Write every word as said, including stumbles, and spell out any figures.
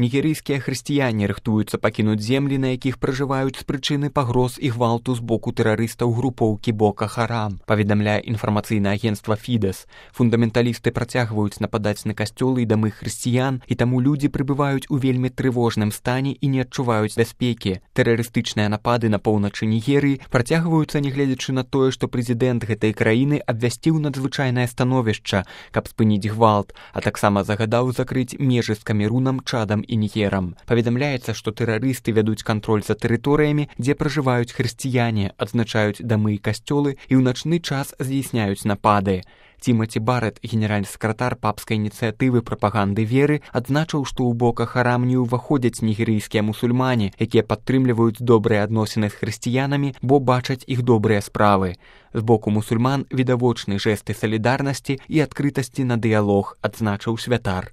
Нігерыйскія хрысціяне рыхтуюцца пакінуць землі, на якіх пражываюць з прычыны пагроз і гвалту з боку тэрарыстаў групоўкі Бока Харам, паведамляе інфармацыйнае агенцтва Фідэс. Фундаменталісты працягваюць нападаць на касцёлы і дамы хрысціян, і таму людзі прыбываюць у вельмі трывожным стане і не адчуваюць бяспекі. Тэрарыстычныя напады на поўначы Нігерыі працягваюцца, нягледзячы на тое, што прэзідэнт гэтай краіны абвясціў надзвычайнае становішча, каб спыніць гвалт, а таксама загадаў закрыць межы з Камерунам, Чадам і Нігерам. Паведамляецца, што тэрарысты вядуць кантроль за тэрыторыямі, дзе пражываюць хрысціяне, адзначаюць дамы і касцёлы і ў начны час здзяйсняюць напады. Тимати Барретт, генеральны сакратар папскай ініцыятывы прапаганды веры, адзначыў, што ў Бока Харам не ўваходзяць нігерыйскія мусульмане, якія падтрымліваюць добрыя адносіны з хрысціянамі, бо бачаць іх добрыя справы. З боку мусульман відавочны жэсты салідарнасці і адкрытасці на дыялог, адзначыў святар.